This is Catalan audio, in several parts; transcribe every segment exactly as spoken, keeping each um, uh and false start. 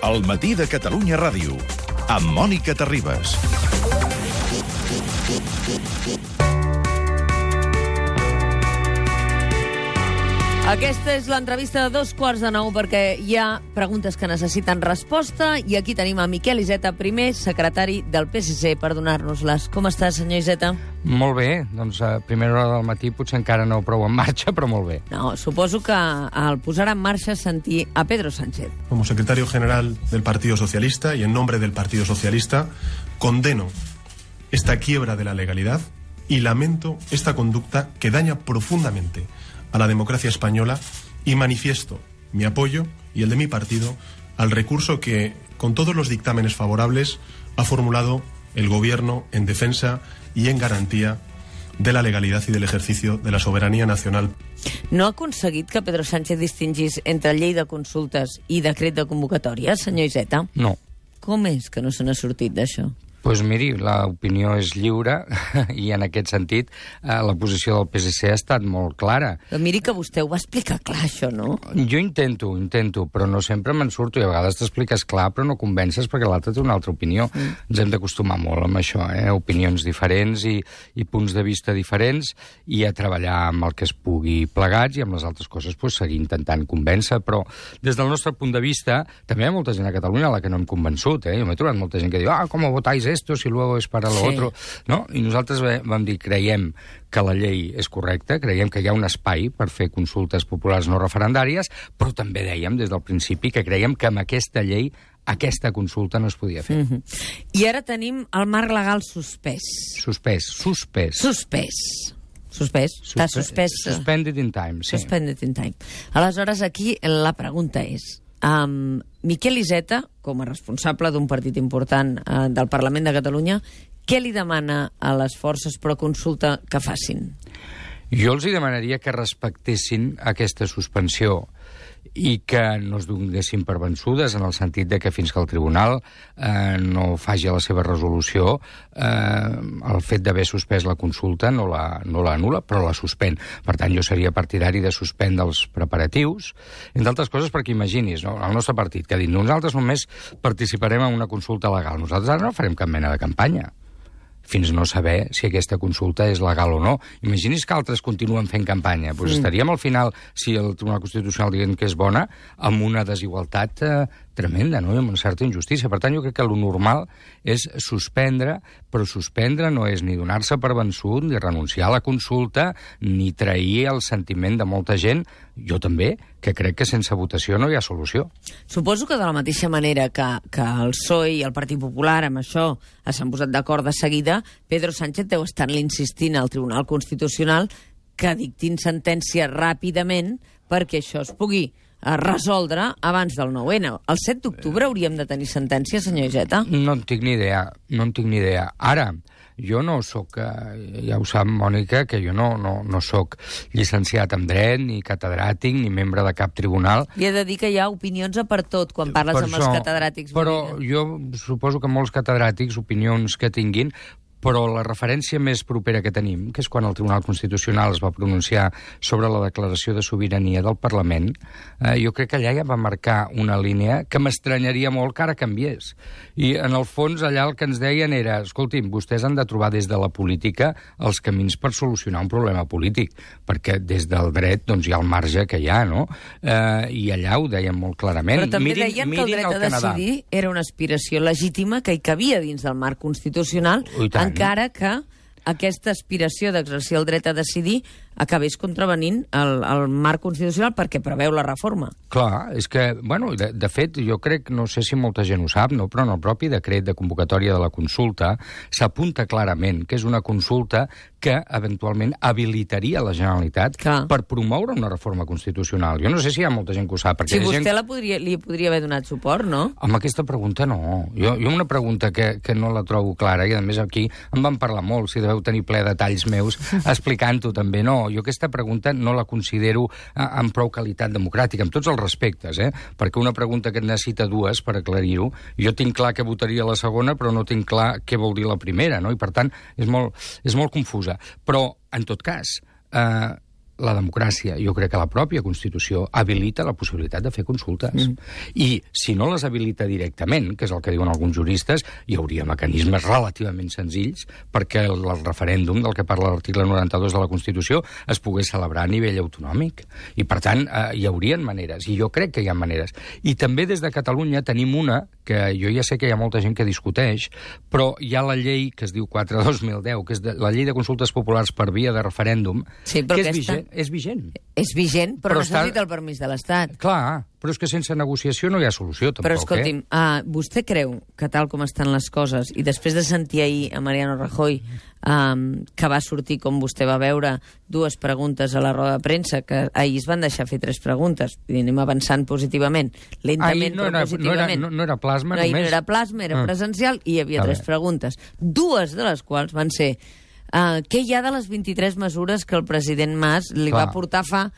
El matí de Catalunya Ràdio, amb Mònica Terribas. Aquesta és l'entrevista de dos quarts de nou perquè hi ha preguntes que necessiten resposta i aquí tenim a Miquel Iceta, primer secretari del P S C, per donar-nos-les. Com està, senyor Iceta? Molt bé, doncs a primera hora del matí potser encara no prou en marxa, però molt bé. No, suposo que al posar en marxa sentir a Pedro Sánchez. Como secretario general del Partido Socialista y en nombre del Partido Socialista condeno esta quiebra de la legalidad y lamento esta conducta que daña profundamente a la democracia española y manifiesto mi apoyo y el de mi partido al recurso que, con todos los dictámenes favorables, ha formulado el Gobierno en defensa y en garantía de la legalidad y del ejercicio de la soberanía nacional. No ha aconseguit que Pedro Sánchez distingís entre llei de consultes i decret de convocatòria, senyor Iceta? No. Com és que no se n'ha sortit d'això? Doncs pues miri, l'opinió és lliure i en aquest sentit eh, la posició del P S C ha estat molt clara. Però miri que vostè ho va explicar clar, això, no? Jo intento, intento, però no sempre me'n surto i a vegades t'expliques clar però no convences perquè l'altre té una altra opinió. Mm. Ens hem d'acostumar molt amb això, eh? Opinions diferents i, i punts de vista diferents i a treballar amb el que es pugui plegats i amb les altres coses pues, seguir intentant convèncer, però des del nostre punt de vista també hi ha molta gent a Catalunya a la que no hem convençut, eh? Jo m'he trobat molta gent que diu, ah, com votáis esto si luego es para lo sí. otro, no? I nosaltres vam dir, creiem que la llei és correcta, creiem que hi ha un espai per fer consultes populars no referendàries, però també dèiem des del principi que creiem que amb aquesta llei aquesta consulta no es podia fer. Mm-hmm. I ara tenim el marc legal suspès. Suspès, suspès. Suspès. Suspès. Està suspès. Suspended in time, sí. Suspended in time. Aleshores, aquí la pregunta és, Um, Miquel Iceta, com a responsable d'un partit important uh, del Parlament de Catalunya, què li demana a les forces pro consulta que facin? Jo els hi demanaria que respectessin aquesta suspensió i que no es donessin per vençudes en el sentit de que fins que el tribunal eh, no faci la seva resolució eh, el fet d'haver suspès la consulta no la, no la anul·la, però la suspèn. Per tant, jo seria partidari de suspendre els preparatius, entre altres coses perquè imaginis, no? El nostre partit que ha dit nosaltres només participarem en una consulta legal, nosaltres ara no farem cap mena de campanya fins no saber si aquesta consulta és legal o no. Imaginis que altres continuen fent campanya. Doncs mm. estaríem al final, si el Tribunal Constitucional diguem que és bona, amb una desigualtat eh, tremenda, no? I amb una certa injustícia. Per tant, jo crec que el normal és suspendre, però suspendre no és ni donar-se per vençut, ni renunciar a la consulta, ni trair el sentiment de molta gent, jo també, que crec que sense votació no hi ha solució. Suposo que de la mateixa manera que, que el P S O E i el Partit Popular amb això s'han posat d'acord de seguida, Pedro Sánchez deu estar-li insistint al Tribunal Constitucional que dictin sentència ràpidament perquè això es pugui resoldre abans del nou ene. El set d'octubre hauríem de tenir sentència, senyor Iceta? No en tinc ni idea, no en tinc ni idea. Ara, jo no sóc, ja ho sap, Mònica, que jo no, no, no sóc llicenciat en dret, ni catedràtic, ni membre de cap tribunal. Li he de dir que hi ha opinions a per tot quan parles per amb això, els catedràtics. Però jo suposo que molts catedràtics, opinions que tinguin, però la referència més propera que tenim, que és quan el Tribunal Constitucional es va pronunciar sobre la declaració de sobirania del Parlament, eh, jo crec que allà ja va marcar una línia que m'estranyaria molt que ara canviés. I, en el fons, allà el que ens deien era, escolti'm, vostès han de trobar des de la política els camins per solucionar un problema polític, perquè des del dret doncs, hi ha el marge que hi ha, no? Eh, I allà ho deien molt clarament. Però també mirin, deien que el dret a decidir era una aspiració legítima que hi cabia dins del marc constitucional, encara que aquesta aspiració d'exercir el dret a decidir acabés contravenint el, el marc constitucional perquè preveu la reforma. Clar, és que, bueno, de, de fet, jo crec, no sé si molta gent ho sap, no, però en el propi decret de convocatòria de la consulta s'apunta clarament que és una consulta que eventualment habilitaria la Generalitat Clar. per promoure una reforma constitucional. Jo no sé si hi ha molta gent que ho sap. Si vostè gent... la podria, li podria haver donat suport, no? Amb aquesta pregunta no. Jo, jo una pregunta que, que no la trobo clara, i a més aquí en van parlar molt, si deveu tenir ple detalls meus explicant-ho també, no. Jo aquesta pregunta no la considero eh, amb prou qualitat democràtica, amb tots els respectes, eh? Perquè una pregunta que necessita dues per aclarir-ho, jo tinc clar que votaria la segona, però no tinc clar què vol dir la primera, no? I per tant és molt, és molt confusa. Però, en tot cas, eh, la democràcia, jo crec que la pròpia Constitució habilita la possibilitat de fer consultes. Mm. I si no les habilita directament, que és el que diuen alguns juristes, hi hauria mecanismes relativament senzills perquè el, el referèndum del que parla l'article noranta-dos de la Constitució es pogués celebrar a nivell autonòmic. I, per tant, eh, hi haurien maneres, i jo crec que hi ha maneres. I també des de Catalunya tenim una, que jo ja sé que hi ha molta gent que discuteix, però hi ha la llei que es diu quatre dos mil deu, que és de, la llei de consultes populars per via de referèndum, sí, que és aquesta... vigent. És vigent. És vigent, però, però necessita està... el permís de l'Estat. Clar, però és que sense negociació no hi ha solució, tampoc. Però escolti'm, eh? uh, vostè creu que tal com estan les coses, i després de sentir ahir a Mariano Rajoy, um, que va sortir, com vostè va veure, dues preguntes a la roda de premsa, que ahir es van deixar fer tres preguntes, i anem avançant positivament, lentament, no però era, positivament. No era, no, no era plasma, no, només. No era plasma, era ah. presencial, i hi havia a tres veure. preguntes. Dues de les quals van ser uh, què hi ha de les vint-i-tres mesures que el president Mas li Clar. va portar fa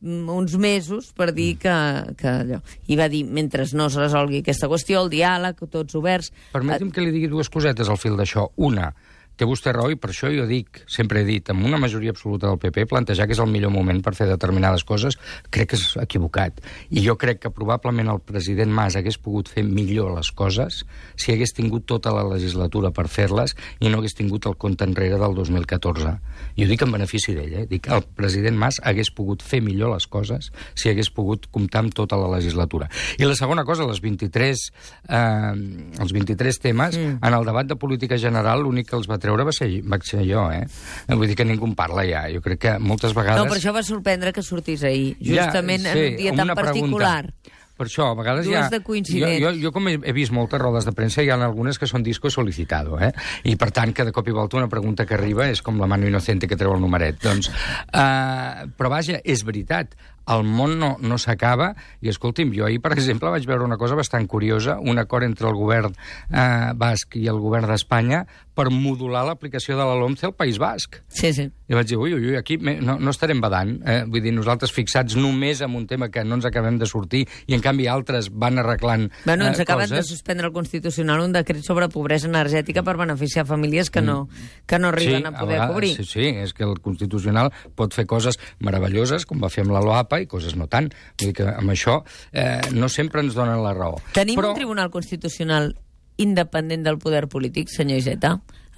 uns mesos per dir que, que allò. I va dir, mentre no es resolgui aquesta qüestió, el diàleg, tots oberts... Permeti'm que li digui dues cosetes al fil d'això. Una, té vostè raó, i per això jo dic, sempre he dit, amb una majoria absoluta del P P, plantejar que és el millor moment per fer determinades coses, crec que és equivocat. I jo crec que probablement el president Mas hagués pogut fer millor les coses si hagués tingut tota la legislatura per fer-les i no hagués tingut el compte enrere del dos mil catorze. I ho dic en benefici d'ell, eh? Dic, el president Mas hagués pogut fer millor les coses si hagués pogut comptar amb tota la legislatura. I la segona cosa, les vint-i-tres, eh, els vint-i-tres temes, mm. en el debat de política general, l'únic que els va treure va ser, va ser jo, eh? Vull dir que ningú en parla ja. Jo crec que moltes vegades... No, per això va sorprendre que sortís ahir, justament ja, sí, en un dia tan particular. Pregunta. Per això, a vegades Dues ja... de coincidents. Jo, jo, jo com he, he vist moltes rodes de premsa, hi ha algunes que són disco solicitado, eh? I per tant, que de cop i volta una pregunta que arriba és com la mano inocente que treu el numeret. Doncs, uh, però vaja, és veritat, el món no, no s'acaba, i escolti'm, jo ahir, per exemple, vaig veure una cosa bastant curiosa, un acord entre el govern eh, basc i el govern d'Espanya per modular l'aplicació de la LOMCE al País Basc. Sí, sí. I vaig dir, ui, ui, aquí no, no estarem badant. Eh? Vull dir, nosaltres fixats només en un tema que no ens acabem de sortir, i en canvi altres van arreglant eh, bueno, ens acaben coses. de suspendre el Constitucional un decret sobre pobresa energètica per beneficiar famílies que no, que no arriben sí, a poder a vegades, cobrir. Sí, sí, és que el Constitucional pot fer coses meravelloses, com va fer amb la LOAPA, i coses no tant. Vull dir que amb això eh, no sempre ens donen la raó. Tenim Però... un Tribunal Constitucional independent del poder polític, senyor Iceta?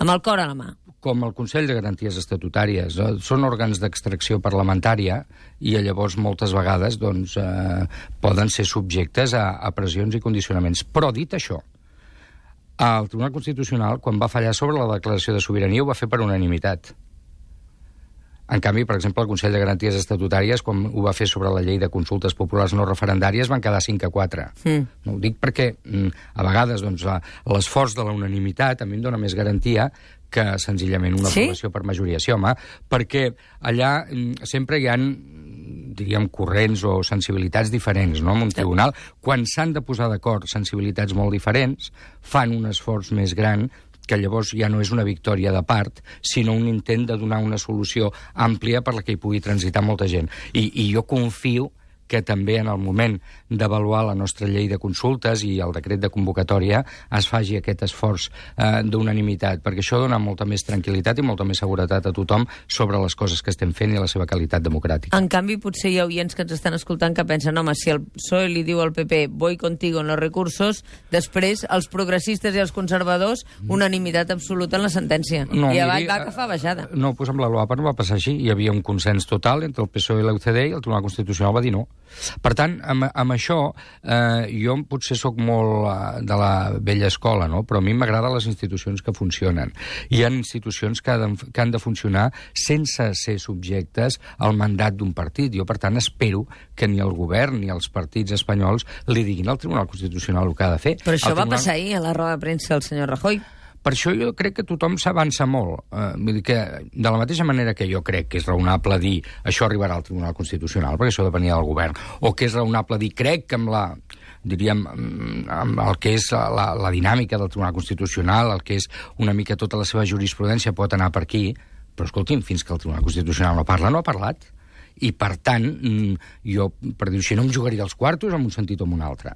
Amb el cor a la mà. Com el Consell de Garanties Estatutàries. Eh, són òrgans d'extracció parlamentària i llavors moltes vegades doncs, eh, poden ser subjectes a, a pressions i condicionaments. Però dit això, el Tribunal Constitucional, quan va fallar sobre la declaració de sobirania, ho va fer per unanimitat. En canvi, per exemple, el Consell de Garanties Estatutàries, quan ho va fer sobre la llei de consultes populars no referendàries, van quedar cinc a quatre. Mm. No ho dic perquè, a vegades, doncs, l'esforç de la unanimitat a mi em dona més garantia que senzillament una sí? aprovació per majoria. Sí, home, perquè allà sempre hi ha, diríem, corrents o sensibilitats diferents, no?, en un tribunal. Quan s'han de posar d'acord sensibilitats molt diferents, fan un esforç més gran, que llavors ja no és una victòria de part, sinó un intent de donar una solució àmplia per la que hi pugui transitar molta gent. I, i jo confio que també en el moment d'avaluar la nostra llei de consultes i el decret de convocatòria es faci aquest esforç eh, d'unanimitat, perquè això dona molta més tranquil·litat i molta més seguretat a tothom sobre les coses que estem fent i la seva qualitat democràtica. En canvi, potser hi ha oients que ens estan escoltant que pensen, home, si el P S O E li diu al P P voy contigo en los recursos, després els progressistes i els conservadors unanimitat absoluta en la sentència. No, I avall miri, va que fa baixada. No, doncs amb la LOAPA no va passar així. Hi havia un consens total entre el P S O E i la U C D i el Tribunal Constitucional va dir no. Per tant, amb, amb això, eh, jo potser sóc molt eh, de la vella escola, no? Però a mi m'agraden les institucions que funcionen. Hi ha institucions que, ha de, que han de funcionar sense ser subjectes al mandat d'un partit. Jo, per tant, espero que ni el govern ni els partits espanyols li diguin al Tribunal Constitucional el que ha de fer. Però això el va tribunal... passar ahir a la roda de premsa del senyor Rajoy. Per això jo crec que tothom s'avança molt. Eh, vull dir que, de la mateixa manera que jo crec que és raonable dir això arribarà al Tribunal Constitucional, perquè això depenia del govern, o que és raonable dir crec que amb la diríem, amb el que és la, la dinàmica del Tribunal Constitucional, el que és una mica tota la seva jurisprudència pot anar per aquí, però escolti'm, fins que el Tribunal Constitucional no parla, no ha parlat. i per tant, jo, per dir-ho així, no em jugaria els quartos en un sentit o en un altre.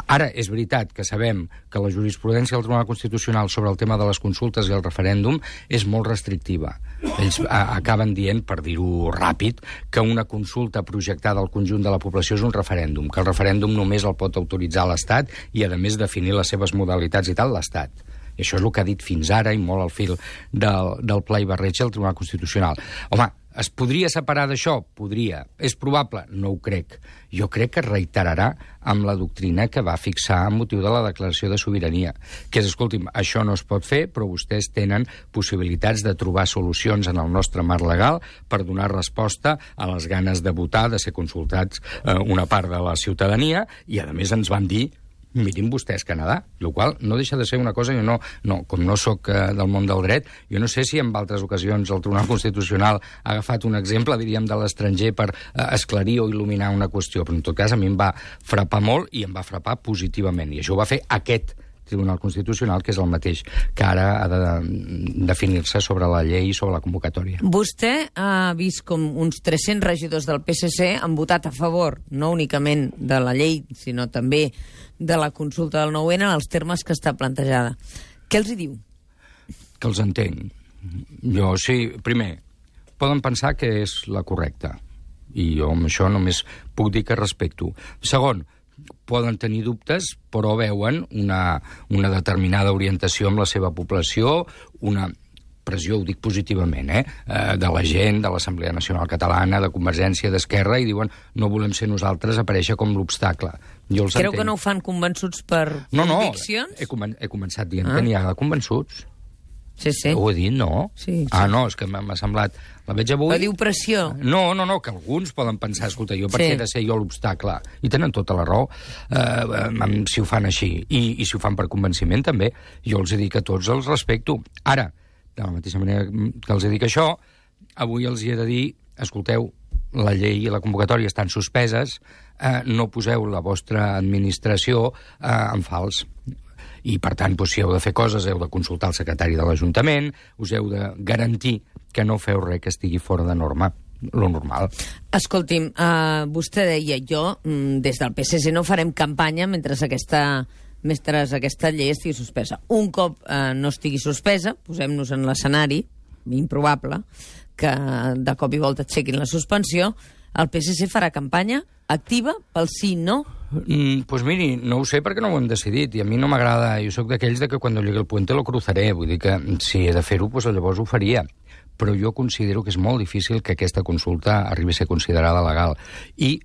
Ara, és veritat que sabem que la jurisprudència del Tribunal Constitucional sobre el tema de les consultes i el referèndum és molt restrictiva. Ells acaben dient, per dir-ho ràpid, que una consulta projectada al conjunt de la població és un referèndum, que el referèndum només el pot autoritzar l'Estat i, a més, definir les seves modalitats i tal, l'Estat. I això és el que ha dit fins ara, i molt al fil del, del pla i barreig el Tribunal Constitucional. Home, es podria separar d'això? Podria. És probable? No ho crec. Jo crec que es reiterarà amb la doctrina que va fixar amb motiu de la declaració de sobirania, que és, escolti'm, això no es pot fer, però vostès tenen possibilitats de trobar solucions en el nostre marc legal per donar resposta a les ganes de votar, de ser consultats eh, una part de la ciutadania, i a més ens van dir mirin vostès Canadà, el qual no deixa de ser una cosa, jo no, no com no sóc eh, del món del dret, jo no sé si en altres ocasions el Tribunal Constitucional ha agafat un exemple, diríem, de l'estranger per eh, esclarir o il·luminar una qüestió, però en tot cas a mi em va frapar molt i em va frapar positivament, i això ho va fer aquest Tribunal Constitucional, que és el mateix que ara ha de definir-se sobre la llei i sobre la convocatòria. Vostè ha vist com uns tres-cents regidors del P S C han votat a favor, no únicament de la llei, sinó també de la consulta del nou ene en els termes que està plantejada. Què els hi diu? Que els entenc. Jo, sí, primer, poden pensar que és la correcta, i jo amb això només puc dir que respecto. Segon, poden tenir dubtes, però veuen una, una determinada orientació amb la seva població, una pressió, ho dic positivament, eh, de la gent, de l'Assemblea Nacional Catalana, de Convergència, d'Esquerra, i diuen no volem ser nosaltres aparèixer com l'obstacle. Jo els Creu entenc. que no ho fan convençuts per no, no, conviccions? he, comen he començat dient ah. que n'hi ha de convençuts. Sí, sí. Ho he dit, no? Sí, sí. Ah, no, és que m'ha semblat... La veig avui... Però diu pressió. No, no, no, que alguns poden pensar, escolta, jo per què sí. he de ser jo l'obstacle? I tenen tota la raó, eh, si ho fan així. I, I si ho fan per convenciment, també. Jo els he dit que tots els respecto. Ara, de la mateixa manera que els he dit això, avui els hi he de dir, escolteu, la llei i la convocatòria estan suspeses, eh, no poseu la vostra administració eh, en fals. I, per tant, doncs, si heu de fer coses, heu de consultar el secretari de l'Ajuntament, us heu de garantir que no feu res que estigui fora de norma, lo normal. Escolti'm, uh, vostè deia, jo, des del P S C no farem campanya mentre aquesta, mentre aquesta llei estigui suspesa. Un cop uh, no estigui suspesa, posem-nos en l'escenari, improbable, que de cop i volta aixequin la suspensió, el P S C farà campanya activa pel sí, no? Mm, pues miri, no ho sé perquè no ho hem decidit, i a mi no m'agrada, jo sóc d'aquells de que quan llegue el puente lo cruzaré, vull dir que si he de fer-ho, pues llavors ho faria. Però jo considero que és molt difícil que aquesta consulta arribi a ser considerada legal. I,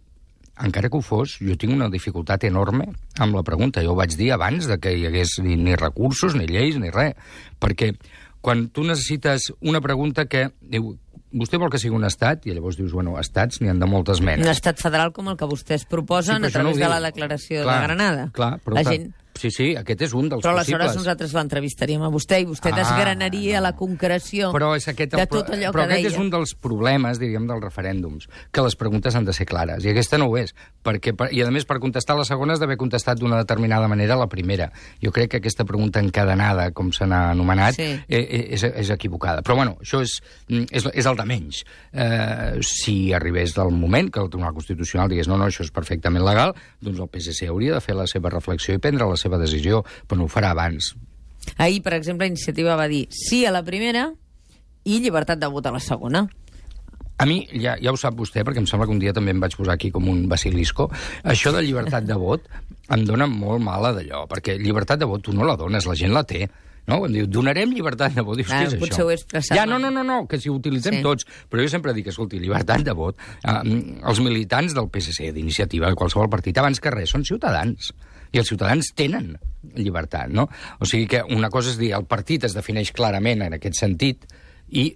encara que ho fos, jo tinc una dificultat enorme amb la pregunta. Jo ho vaig dir abans de que hi hagués ni, ni recursos, ni lleis, ni res. Perquè quan tu necessites una pregunta que... Diu, vostè vol que sigui un estat? I llavors dius, bueno, estats n'hi han de moltes menes. Un estat federal com el que vostès proposen sí, a través no de la declaració clar, de Granada. Clar, però la gent... Sí, sí, aquest és un dels però possibles. Però aleshores nosaltres l'entrevistaríem a vostè i vostè ah, desgranaria no. la concreció però és aquest el... de tot allò però que deia. Però aquest és un dels problemes, diríem, dels referèndums, que les preguntes han de ser clares, i aquesta no ho és. Perquè, I, a més, per contestar la segona has d'haver contestat d'una determinada manera la primera. Jo crec que aquesta pregunta encadenada, com se n'ha anomenat, sí. és, és equivocada. Però, bueno, això és, és, és el de menys. Eh, si arribés del moment que el Tribunal Constitucional digués no, no, això és perfectament legal, doncs el P S C hauria de fer la seva reflexió i prendre la seva decisió, però no ho farà abans. Ahir, per exemple, Iniciativa va dir sí a la primera i llibertat de vot a la segona. A mi, ja, ja ho sap vostè, perquè em sembla que un dia també em vaig posar aquí com un basilisco, això de llibertat de vot em dona molt mala d'allò, perquè llibertat de vot tu no la dones, la gent la té. No? Em diu, donarem llibertat de vot. Dius, ah, què és potser això? Ho he expressat. Ja, no, no, no, no, que si ho utilitzem sí. tots. Però jo sempre dic, escolti, llibertat de vot. Uh, els militants del P S C, d'Iniciativa, de qualsevol partit, abans que res, són ciutadans. I els ciutadans tenen llibertat, no? O sigui que una cosa és dir, el partit es defineix clarament en aquest sentit i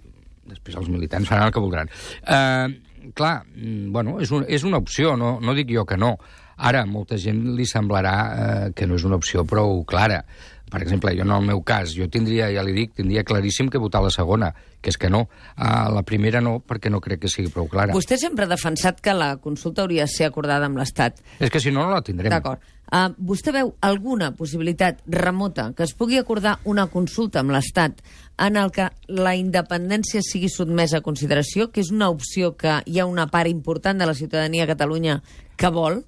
després els militants faran el que voldran. Uh, clar, bueno, és, un, és una opció, no, no dic jo que no. Ara, a molta gent li semblarà eh, que no és una opció prou clara. Per exemple, jo en el meu cas, jo tindria, ja li dic, tindria claríssim que votar la segona, que és que no. A la primera no, perquè no crec que sigui prou clara. Vostè sempre ha defensat que la consulta hauria de ser acordada amb l'Estat. És que si no, no la tindrem. D'acord. Uh, vostè veu alguna possibilitat remota que es pugui acordar una consulta amb l'Estat en el que la independència sigui sotmesa a consideració, que és una opció que hi ha una part important de la ciutadania a Catalunya que vol?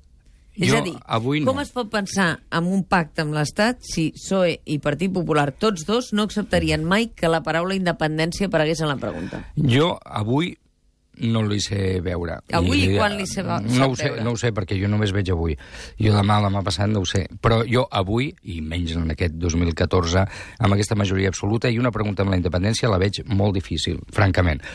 És Jo, a dir, avui no. com es pot pensar en un pacte amb l'Estat si P S O E i Partit Popular, tots dos, no acceptarien mai que la paraula independència aparegués en la pregunta? Jo, avui, no li sé veure. Avui I, quan li sé, no sap ho sé, veure? no ho sé, perquè jo només veig avui. Jo demà, demà passat, no ho sé. Però jo avui, i menys en aquest dos mil catorze, amb aquesta majoria absoluta, i una pregunta amb la independència la veig molt difícil, francament.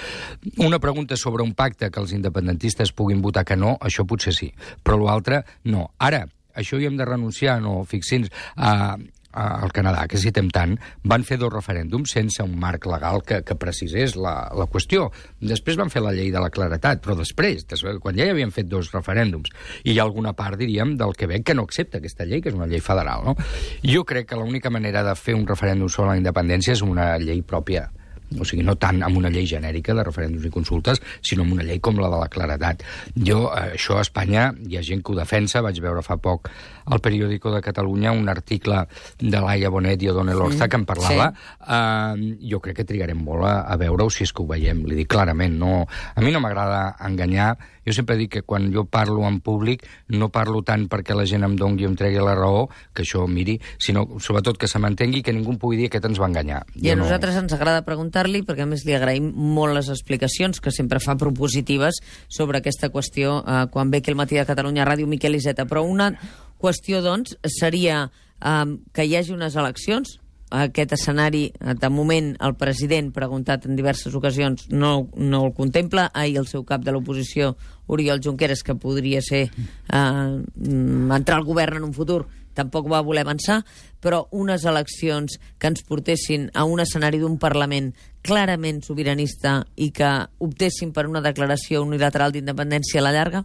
Una pregunta sobre un pacte que els independentistes puguin votar que no, això potser sí. Però l'altre, no. Ara, això hi hem de renunciar, no? Fixin-nos, a... al Canadà, que citem tant, van fer dos referèndums sense un marc legal que, que precisés la, la qüestió. Després van fer la llei de la claretat, però després, després, quan ja hi havien fet dos referèndums, i hi ha alguna part, diríem, del Quebec que no accepta aquesta llei, que és una llei federal, no? Jo crec que l'única manera de fer un referèndum sobre la independència és una llei pròpia. O sigui, no tant amb una llei genèrica de referèndums i consultes, sinó amb una llei com la de la claredat. Jo, això a Espanya, hi ha gent que ho defensa, vaig veure fa poc al Periódico de Catalunya un article de Laia Bonet i O'Donnell Orza mm, que en parlava. Sí. Uh, jo crec que trigarem molt a, a veure-ho si és que ho veiem, li dic clarament. No, a mi no m'agrada enganyar. Jo sempre dic que quan jo parlo en públic no parlo tant perquè la gent em dongui o em tregui la raó, que això miri, sinó sobretot que se m'entengui, que ningú em pugui dir que aquest ens va enganyar. I a jo nosaltres no... ens agrada preguntar-li, perquè a més li agraïm molt les explicacions que sempre fa propositives sobre aquesta qüestió eh, quan ve aquí al Matí de Catalunya Ràdio Miquel Iceta. Però una qüestió, doncs, seria eh, que hi hagi unes eleccions. Aquest escenari, de moment, el president, preguntat en diverses ocasions, no, no el contempla. Ahir el seu cap de l'oposició, Oriol Junqueras, que podria ser eh, entrar al govern en un futur, tampoc va voler avançar, però unes eleccions que ens portessin a un escenari d'un Parlament clarament sobiranista i que optessin per una declaració unilateral d'independència a la llarga?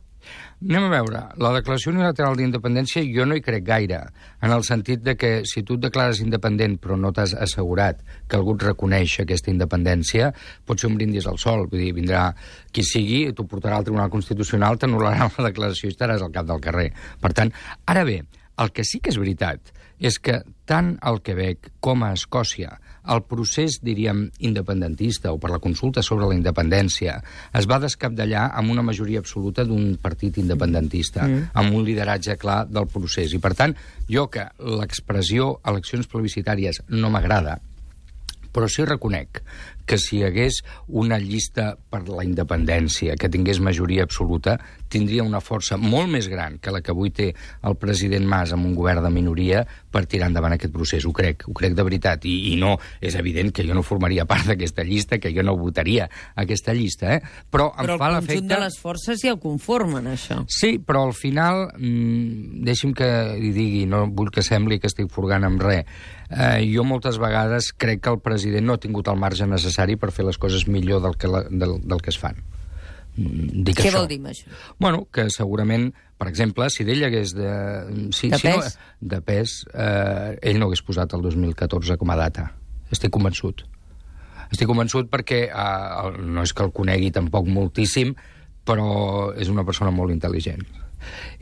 Anem a veure, la declaració unilateral d'independència jo no hi crec gaire, en el sentit de que si tu et declares independent però no t'has assegurat que algú et reconeix aquesta independència, pot ser un brindis al sol, vull dir, vindrà qui sigui, t'ho portarà al Tribunal Constitucional, t'anul·larà la declaració i estaràs al cap del carrer. Per tant, ara bé, el que sí que és veritat és que tant al Quebec com a Escòcia el procés, diríem, independentista o per la consulta sobre la independència es va descapdallar amb una majoria absoluta d'un partit independentista, mm. amb un lideratge clar del procés. I, per tant, jo que l'expressió eleccions plebiscitàries no m'agrada, però sí reconec que si hi hagués una llista per la independència que tingués majoria absoluta, tindria una força molt més gran que la que avui té el president Mas amb un govern de minoria per tirar endavant aquest procés. Ho crec, ho crec de veritat. I, i no, és evident que jo no formaria part d'aquesta llista, que jo no votaria aquesta llista, eh? Però, però em fa l'efecte... Però el conjunt de les forces ja ho conformen, això. Sí, però al final, mmm, deixi'm que li digui, no vull que sembli que estic furgant amb res, eh, jo moltes vegades crec que el president no ha tingut el marge necessari per fer les coses millor del que, la, del, del que es fan. Dic Què això. vol dir amb això? Bueno, que segurament, per exemple, si d'ell hagués de... Si, de si pes? No, de pes, eh, ell no hagués posat el dos mil catorze com a data. Estic convençut. Estic convençut perquè eh, no és que el conegui tampoc moltíssim, però és una persona molt intel·ligent.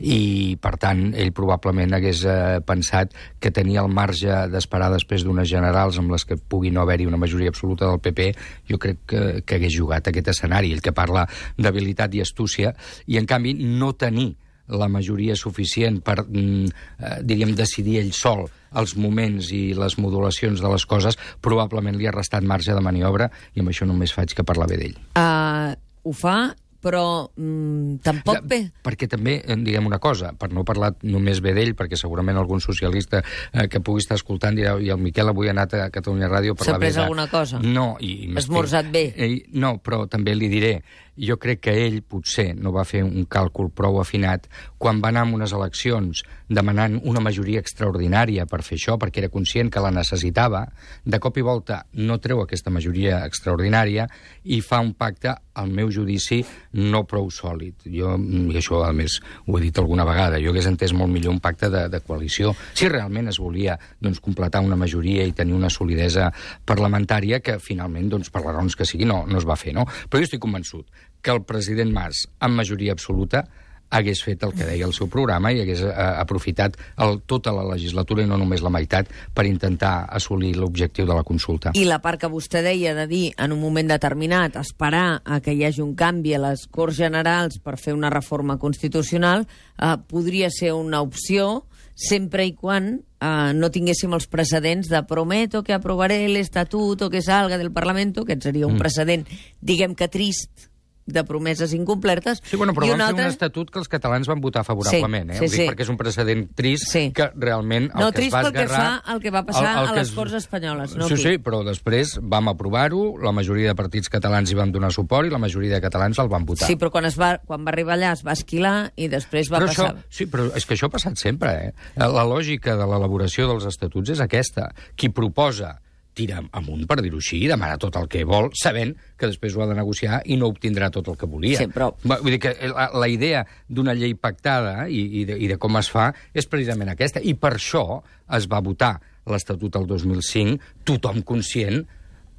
I, per tant, ell probablement hagués eh, pensat que tenia el marge d'esperar després d'unes generals amb les que pugui no haver-hi una majoria absoluta del P P, jo crec que, que hagués jugat aquest escenari, el que parla d'habilitat i astúcia, i, en canvi, no tenir la majoria suficient per, eh, diríem, decidir ell sol els moments i les modulacions de les coses, probablement li ha restat marge de maniobra, i amb això només faig que parlar bé d'ell. Uh, ho fa... però mm, tampoc bé. Perquè també, diguem una cosa, per no parlar només bé d'ell, perquè segurament algun socialista eh, que pugui estar escoltant dirà, i el Miquel avui ha anat a Catalunya Ràdio a parlar bé de... S'ha pres alguna cosa? No. I, Esmorzat bé? Eh, no, però també li diré, jo crec que ell potser no va fer un càlcul prou afinat quan va anar a unes eleccions demanant una majoria extraordinària per fer això, perquè era conscient que la necessitava. De cop i volta no treu aquesta majoria extraordinària i fa un pacte, al meu judici, no prou sòlid. Jo, i això, a més, ho he dit alguna vegada, jo hagués entès molt millor un pacte de, de coalició, si realment es volia doncs, completar una majoria i tenir una solidesa parlamentària que, finalment, doncs, per les raons que sigui, no, no es va fer, no? Però jo estic convençut que el president Mas, amb majoria absoluta, hagués fet el que deia el seu programa i hagués eh, aprofitat el, tota la legislatura i no només la meitat per intentar assolir l'objectiu de la consulta. I la part que vostè deia de dir, en un moment determinat, esperar a que hi hagi un canvi a les Corts Generals per fer una reforma constitucional, eh, podria ser una opció sempre i quan eh, no tinguéssim els precedents de prometo que aprovaré l'estatuto que salga del Parlamento, que seria un mm. precedent, diguem que trist, de promeses incomplertes. Sí, bueno, però i van un fer altre... un estatut que els catalans van votar favorablement, Sí, eh? sí, Ho dic sí. perquè és un precedent trist Sí. que realment el No, que es trist va pel que esgarrar... fa al que va passar el, el a que les es- Corts Espanyoles. No sí, aquí. sí, però després vam aprovar-ho, la majoria de partits catalans hi van donar suport i la majoria de catalans el van votar. Sí, però quan, es va, quan va arribar allà es va esquilar i després va però passar... això, sí, però és que això ha passat sempre, eh? La lògica de l'elaboració dels estatuts és aquesta. Qui proposa tira amunt, per dir-ho així, demana tot el que vol, sabent que després ho ha de negociar i no obtindrà tot el que volia. Sí, però... Vull dir que la, la idea d'una llei pactada i, i, de, i de com es fa és precisament aquesta. I per això es va votar l'Estatut el dos mil cinc, tothom conscient,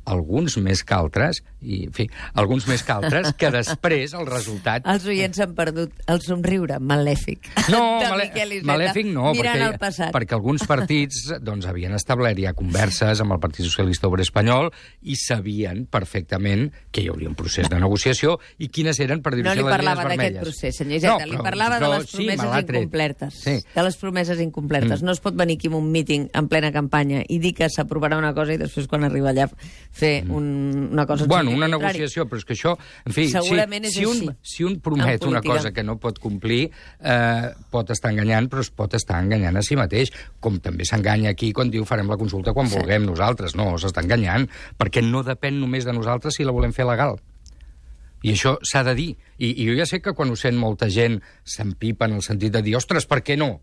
alguns més que altres, i, en fi, alguns més que altres, que després el resultat... Els oients han perdut el somriure malèfic. No, de malè Miquel Iceta, malèfic no, mirant perquè, el passat. perquè alguns partits doncs, havien establert ja converses amb el Partit Socialista Obrer Espanyol i sabien perfectament que hi hauria un procés de negociació i quines eren, per dir-ho No així, li les parlava línies d'aquest vermelles. procés, senyor Iceta, No, li però- parlava però de les sí, promeses me l'ha tret. incomplertes. Sí. De les promeses incomplertes. Mm. No es pot venir aquí amb un míting en plena campanya i dir que s'aprovarà una cosa i després, quan arriba allà, fer un, una cosa... Bueno, una contrari. negociació, però és que això... En fi, Segurament si, és si, un, així, si un promet en una política. cosa que no pot complir, eh, pot estar enganyant, però es pot estar enganyant a si mateix, com també s'enganya aquí quan diu farem la consulta quan Sí. vulguem nosaltres. No, s'està enganyant, perquè no depèn només de nosaltres si la volem fer legal. I això s'ha de dir. I, I jo ja sé que quan ho sent molta gent s'empipa en el sentit de dir, ostres, per què no?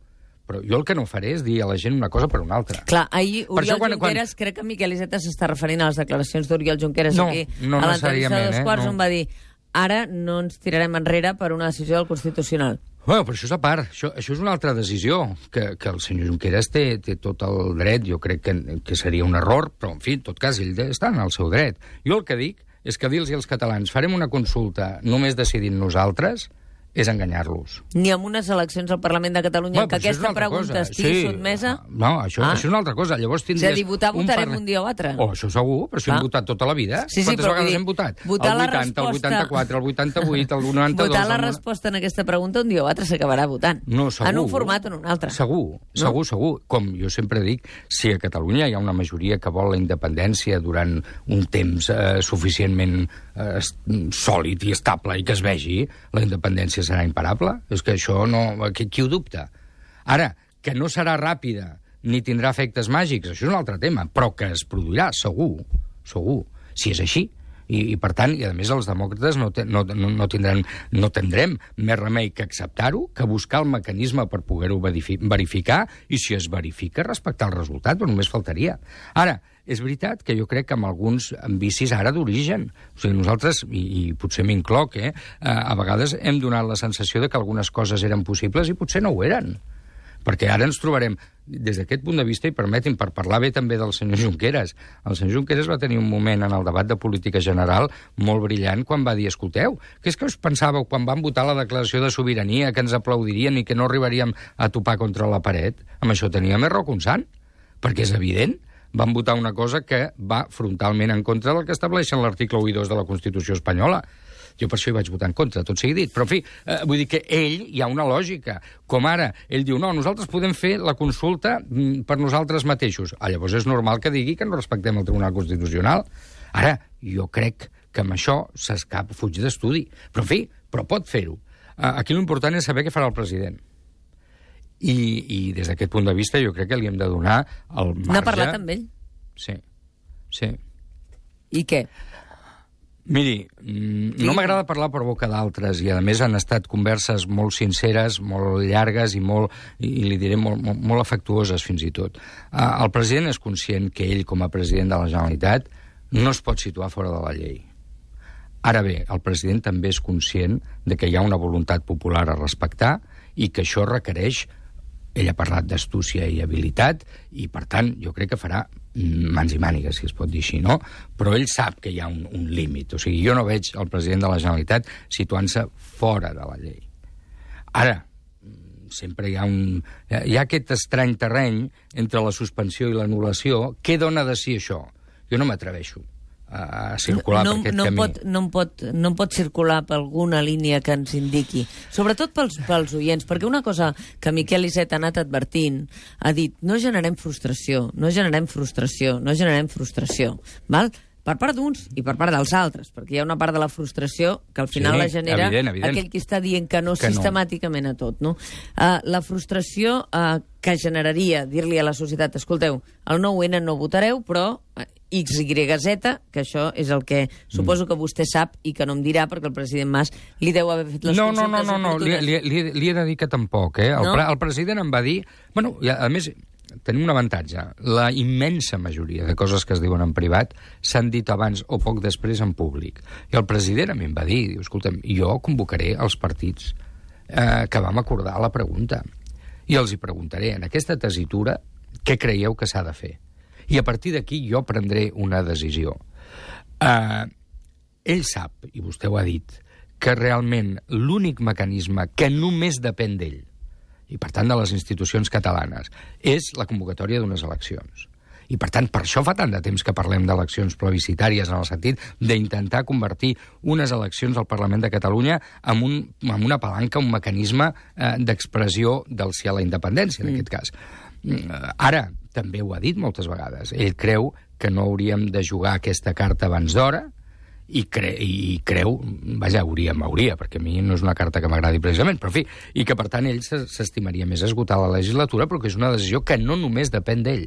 Però jo el que no faré és dir a la gent una cosa per una altra. Clar, ahir Per Oriol això quan- Junqueras, crec que Miquel Iceta s'està referint a les declaracions d'Oriol Junqueras No, aquí, no a l'entrevista necessàriament, dels eh, quarts, no. on va dir ara no ens tirarem enrere per una decisió del Constitucional. Bueno, però això és a part. Això, això és una altra decisió, que, que el senyor Junqueras té, té tot el dret. Jo crec que, que seria un error, però, en fi, en tot cas, ell està en el seu dret. Jo el que dic és que dir-los als catalans farem una consulta només decidint nosaltres és enganyar-los. Ni amb unes eleccions al Parlament de Catalunya en què però això és aquesta una altra pregunta cosa. estigui Sí. sotmesa... No, això, Ah. això és una altra cosa. Llavors És a tindries dir, votar un votarem parla- un dia o altre. Oh, això segur, però si Clar. hem votat tota la vida. Sí, sí, Quantes però vull vegades dir, hem votat? votar el la vuitanta, el resposta- vuitanta-quatre, el vuitanta-vuit, el noranta-dos... Votar la el... resposta en aquesta pregunta un dia o altre s'acabarà votant. No, segur. En un format o en un altre. Segur, segur, segur. Com jo sempre dic, si a Catalunya hi ha una majoria que vol la independència durant un temps eh, suficientment eh, sòlid i estable i que es vegi, la independència serà imparable. És que això no... Qui, qui ho dubta? Ara, que no serà ràpida ni tindrà efectes màgics, això és un altre tema, però que es produirà, segur, segur, si és així. I, i per tant, i a més els demòcrates no, te, no, no, no, tindran, no tindrem més remei que acceptar-ho, que buscar el mecanisme per poder-ho verificar, i si es verifica, respectar el resultat, però només faltaria. Ara, és veritat que jo crec que amb alguns vicis ara d'origen, o sigui, nosaltres, i, i potser m'incloc, eh, a vegades hem donat la sensació de que algunes coses eren possibles i potser no ho eren. Perquè ara ens trobarem, des d'aquest punt de vista, i permetin, per parlar bé també del senyor Junqueras, el senyor Junqueras va tenir un moment en el debat de política general molt brillant quan va dir, escolteu, què és que us pensàveu quan van votar la declaració de sobirania, que ens aplaudirien i que no arribaríem a topar contra la paret? Amb això tenia més raó que un sant, perquè és evident, van votar una cosa que va frontalment en contra del que estableixen l'article u i dos de la Constitució espanyola. Jo per això hi vaig votar en contra, tot sigui dit. Però, en fi, eh, vull dir que ell, hi ha una lògica. Com ara, ell diu, no, nosaltres podem fer la consulta mm, per nosaltres mateixos. Ah, llavors és normal que digui que no respectem el Tribunal Constitucional. Ara, jo crec que amb això s'escapa, fuig d'estudi. Però, en fi, però pot fer-ho. Eh, aquí l'important és saber què farà el president. I, i des d'aquest punt de vista jo crec que li hem de donar el marge... N'ha parlat amb ell? Sí, sí. I què? Miri, no m'agrada parlar per boca d'altres i, a més, han estat converses molt sinceres, molt llargues i, molt, i li diré molt, molt, molt afectuoses, fins i tot. El president és conscient que ell, com a president de la Generalitat, no es pot situar fora de la llei. Ara bé, el president també és conscient de que hi ha una voluntat popular a respectar i que això requereix, ell ha parlat d'astúcia i habilitat, i, per tant, jo crec que farà mans i mànigues, si es pot dir així, no? Però ell sap que hi ha un, un límit. O sigui, jo no veig el president de la Generalitat situant-se fora de la llei. Ara, sempre hi ha un... Hi ha aquest estrany terreny entre la suspensió i l'anul·lació. Què dona de si això? Jo no m'atreveixo a circular no, per aquest no camí. Pot, no, pot, no pot circular per alguna línia que ens indiqui, sobretot pels, pels oients, perquè una cosa que Miquel Iceta ha anat advertint, ha dit, no generem frustració, no generem frustració, no generem frustració, val? Per part d'uns i per part dels altres, perquè hi ha una part de la frustració que al final sí, la genera evident, evident. aquell que està dient que no que sistemàticament no. a tot. No? Uh, la frustració uh, que generaria dir-li a la societat, escolteu, el nou ene no votareu, però uh, X Y Z, que això és el que suposo que vostè sap i que no em dirà, perquè el president Mas li deu haver fet les no, no, consultes no, no, no, li, li, li, li he de dir que tampoc, eh? El, no? pre, el president em va dir... Bueno, i a, a més, tenim un avantatge. La immensa majoria de coses que es diuen en privat s'han dit abans o poc després en públic. I el president a mi em va dir, diu, escolta'm, jo convocaré els partits eh, que vam acordar la pregunta. I els hi preguntaré, en aquesta tesitura, què creieu que s'ha de fer? I a partir d'aquí jo prendré una decisió. Eh, ell sap, i vostè ho ha dit, que realment l'únic mecanisme que només depèn d'ell, i per tant de les institucions catalanes, és la convocatòria d'unes eleccions. I per tant, per això fa tant de temps que parlem d'eleccions plebiscitàries, en el sentit d'intentar convertir unes eleccions al Parlament de Catalunya en, un, en una palanca, un mecanisme eh, d'expressió del sí a la independència, en mm. aquest cas. Ara, també ho ha dit moltes vegades, ell creu que no hauríem de jugar aquesta carta abans d'hora, i, cre i creu, vaja, hauríem, hauria, perquè a mi no és una carta que m'agradi precisament, però en fi, i que per tant ell s'estimaria més esgotar la legislatura, però que és una decisió que no només depèn d'ell.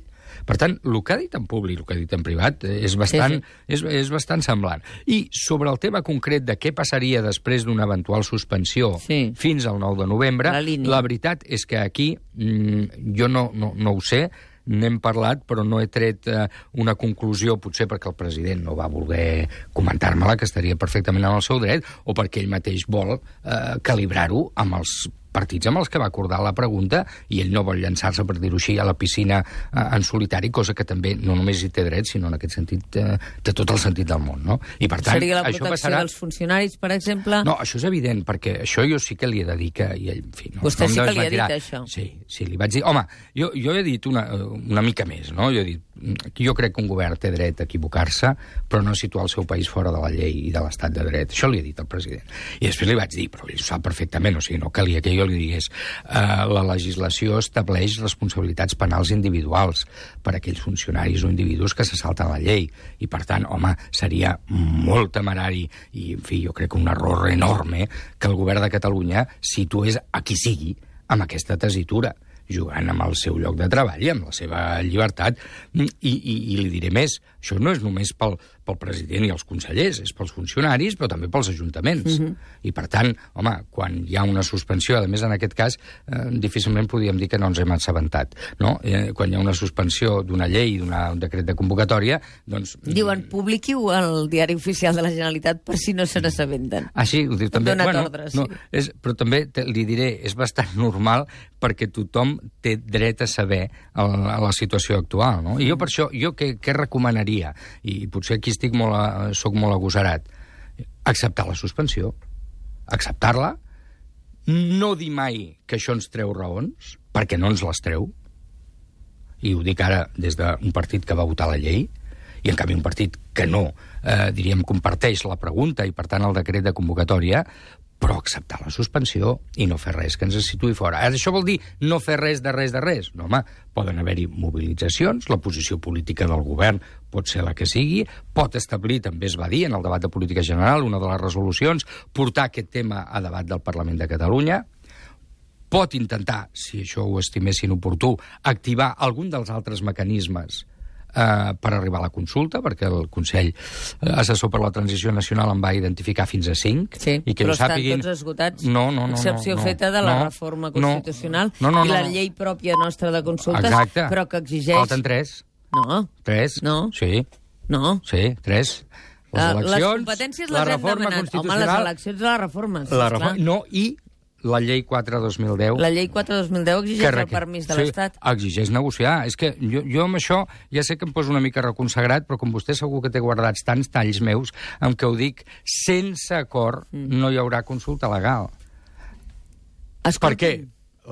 Per tant, el que ha dit en públic, el que ha dit en privat, és bastant, sí, sí. És, és bastant semblant. I sobre el tema concret de què passaria després d'una eventual suspensió sí. fins al nou de novembre, la, la veritat és que aquí mmm, jo no, no, no ho sé, n'hem parlat, però no he tret eh, una conclusió, potser perquè el president no va voler comentar-me-la, que estaria perfectament en el seu dret, o perquè ell mateix vol eh, calibrar-ho amb els partits amb els que va acordar la pregunta, i ell no vol llançar-se, per dir-ho així, a la piscina eh, en solitari, cosa que també no només hi té dret, sinó en aquest sentit eh, té tot el sentit del món, no? I per tant, seria la protecció això passarà... dels funcionaris, per exemple? No, això és evident, perquè això jo sí que li he de dir que... I ell, en fi, no, Vostè no sí que li ha dit això? Sí, sí, li vaig dir... Home, jo, jo he dit una, una mica més, no? Jo he dit, jo crec que un govern té dret a equivocar-se, però no situar el seu país fora de la llei i de l'estat de dret. Això li he dit al president. I després li vaig dir, però ell ho sap perfectament, o sigui, no calia que jo li digués Uh, la legislació estableix responsabilitats penals individuals per a aquells funcionaris o individus que se salten la llei. I, per tant, home, seria molt temerari i, en fi, jo crec que un error enorme que el govern de Catalunya situés a qui sigui amb aquesta tesitura, jugant amb el seu lloc de treball i amb la seva llibertat. I, i, i li diré més, això no és només pel, pel president i els consellers, és pels funcionaris, però també pels ajuntaments. Mm-hmm. I, per tant, home, quan hi ha una suspensió, a més, en aquest cas, eh, difícilment podríem dir que no ens hem assabentat, no? Eh, quan hi ha una suspensió d'una llei, d'un decret de convocatòria, doncs... Diuen, publiqui-ho al diari oficial de la Generalitat per si no se n'assabenten. Ah, sí? Ho diu també. Bueno, ordre, no, sí. és, però també te, li diré, és bastant normal perquè tothom té dret a saber a la, a la situació actual, no? I jo per això, jo què, què recomanaria? I potser aquí estic molt a, soc molt agosarat. Acceptar la suspensió. Acceptar-la. No dir mai que això ens treu raons, perquè no ens les treu. I ho dic ara des d'un partit que va votar la llei, i en canvi un partit que no, eh, diríem, comparteix la pregunta i per tant el decret de convocatòria, però acceptar la suspensió i no fer res que ens situï fora. Ara, això vol dir no fer res de res de res? No, home, poden haver-hi mobilitzacions, la posició política del govern pot ser la que sigui, pot establir, també es va dir en el debat de política general, una de les resolucions, portar aquest tema a debat del Parlament de Catalunya, pot intentar, si això ho estimessin oportú, activar algun dels altres mecanismes eh, per arribar a la consulta, perquè el Consell Assessor per la Transició Nacional en va identificar fins a cinc. Sí, i que però estan sàpiguin... tots esgotats. No, no, no. Excepció no, no, feta de la no, reforma constitucional no, no, no, i la no, no. llei pròpia nostra de consultes, Exacte. però que exigeix... Falten tres. No. Tres? No. Sí. No. Sí, tres. Les Uh, eleccions, les competències les la hem reforma demanat. constitucional... Home, les eleccions de la reforma, la reforma, no, i la llei quatre dos mil deu... La llei quatre dos mil deu exigeix el permís de sí, l'Estat. Exigeix negociar. És que jo, jo amb això ja sé que em poso una mica reconsagrat, però com vostè segur que té guardats tants talls meus, amb què ho dic, sense acord mm. no hi haurà consulta legal. Escolti. Per què?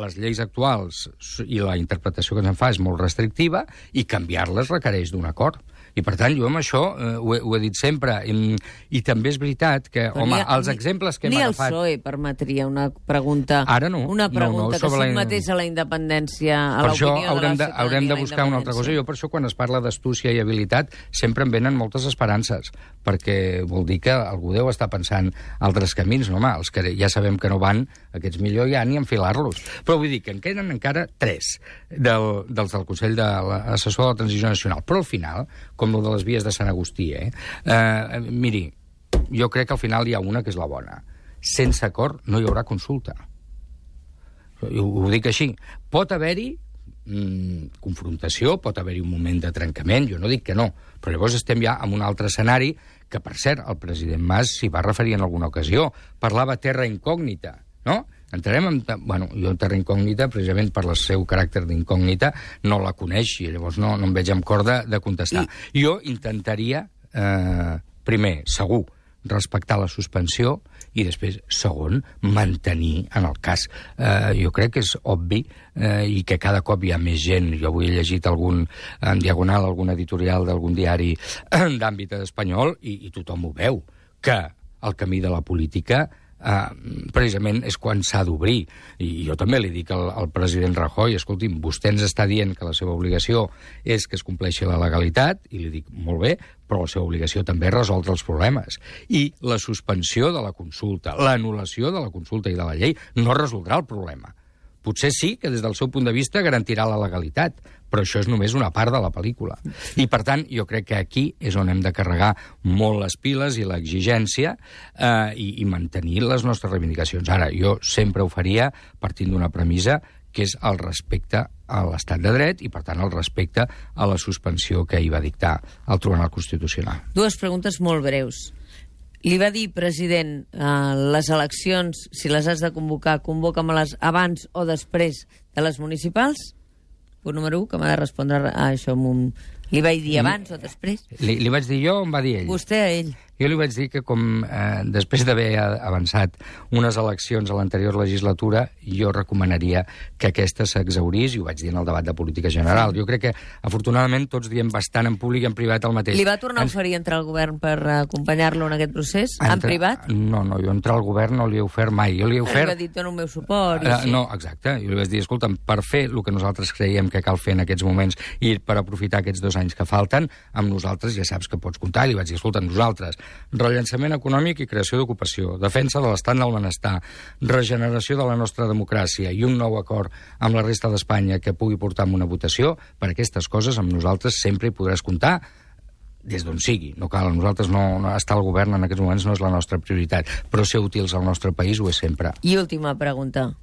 Les lleis actuals i la interpretació que se'n fa és molt restrictiva i canviar-les requereix d'un acord. I, per tant, jo amb això eh, ho, he, ho he dit sempre. I, i també és veritat que, Però home, ha, els exemples que hem ni agafat... Ni el P S O E permetria una pregunta... Ara no. Una pregunta no, no, que la... sotmetés a la independència, a per això l'opinió de la haurem de, ciutadania. haurem de buscar una altra cosa. Jo per això, quan es parla d'astúcia i habilitat, sempre em venen moltes esperances, perquè vol dir que algú deu estar pensant altres camins. No, home, els que ja sabem que no van, aquests millor ja ni enfilar-los. Però vull dir que en queden encara tres del, dels del Consell de l'Assessor de la Transició Nacional. Però al final, com el de les vies de Sant Agustí, eh? eh miri, jo crec que al final hi ha una que és la bona. Sense acord no hi haurà consulta. Ho, ho dic així. Pot haver-hi mm, confrontació, pot haver-hi un moment de trencament, jo no dic que no, però llavors estem ja en un altre escenari que, per cert, el president Mas s'hi va referir en alguna ocasió. Parlava terra incògnita, no? Entrarem en... Bueno, jo en terra incògnita, precisament per el seu caràcter d'incògnita, no la coneix i llavors no, no em veig amb cor de, de contestar. I... Jo intentaria, eh, primer, segur, respectar la suspensió i després, segon, mantenir en el cas. Eh, jo crec que és obvi eh, i que cada cop hi ha més gent. Jo avui he llegit algun, en diagonal algun editorial d'algun diari d'àmbit espanyol i, i tothom ho veu, que el camí de la política Uh, precisament és quan s'ha d'obrir. I jo també li dic al, al president Rajoy, escolti'm, vostè ens està dient que la seva obligació és que es compleixi la legalitat, i li dic, molt bé, però la seva obligació també és resoldre els problemes. I la suspensió de la consulta, l'anul·lació de la consulta i de la llei no resoldrà el problema. Potser sí que des del seu punt de vista garantirà la legalitat, però això és només una part de la pel·lícula. I, per tant, jo crec que aquí és on hem de carregar molt les piles i l'exigència eh, i, i mantenir les nostres reivindicacions. Ara, jo sempre ho faria partint d'una premissa que és el respecte a l'estat de dret i, per tant, el respecte a la suspensió que hi va dictar el Tribunal Constitucional. Dues preguntes molt breus. Li va dir, president, eh, les eleccions, si les has de convocar, convoca-me-les abans o després de les municipals? Punt número un, que m'ha de respondre a això amb un... Li vaig dir abans o després? Li, li vaig dir jo o em va dir ell? Vostè a ell. Jo li vaig dir que com eh, després d'haver avançat unes eleccions a l'anterior legislatura, jo recomanaria que aquesta s'exhaurís, i ho vaig dir en el debat de política general. Jo crec que, afortunadament, tots diem bastant en públic i en privat el mateix. Li va tornar Ens... a oferir entrar al govern per acompanyar-lo en aquest procés? Entra... En privat? No, no, jo entrar al govern no li he ofert mai. Jo li he ofert... Li va dir, dono el meu suport. I uh, sí. No, exacte. Jo li vaig dir, escolta'm, per fer el que nosaltres creiem que cal fer en aquests moments i per aprofitar aquests dos anys que falten, amb nosaltres ja saps que pots comptar. I li vaig dir, escolta, nosaltres, rellançament econòmic i creació d'ocupació, defensa de l'estat del benestar, regeneració de la nostra democràcia i un nou acord amb la resta d'Espanya que pugui portar a una votació, per aquestes coses amb nosaltres sempre hi podràs comptar des d'on sigui. No cal, nosaltres no, no estar al govern en aquests moments no és la nostra prioritat, però ser útils al nostre país ho és sempre. I última pregunta.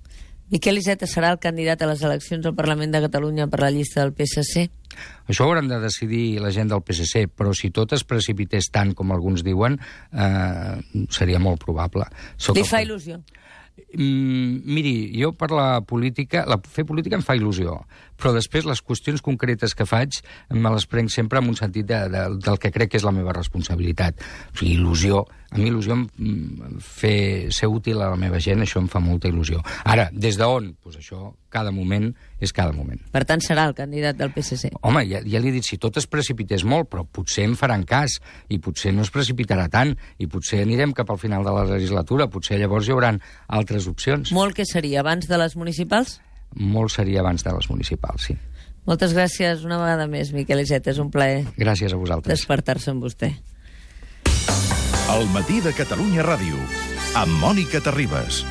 Miquel Iceta serà el candidat a les eleccions al Parlament de Catalunya per la llista del P S C? Això ho hauran de decidir la gent del P S C, però si tot es precipités tant com alguns diuen, eh, seria molt probable. Soc Li el... fa il·lusió? Mm, miri, jo per la política, la, fer política em fa il·lusió, però després les qüestions concretes que faig me les prenc sempre en un sentit de, de, del que crec que és la meva responsabilitat. O sigui, il·lusió, a mi il·lusió fer, ser útil a la meva gent, això em fa molta il·lusió. Ara, des d'on? Doncs això, cada moment és cada moment. Per tant, serà el candidat del P S C? Home, ja, ja li he dit, si tot es precipités molt, però potser em faran cas, i potser no es precipitarà tant, i potser anirem cap al final de la legislatura, potser llavors hi haurà altres opcions. Molt que seria abans de les municipals? Molt seria abans de les municipals, sí. Moltes gràcies una vegada més, Miquel Iceta, és un plaer. Gràcies a vosaltres. Despertar-se amb vostè. El matí de Catalunya Ràdio, amb Mònica Terribas.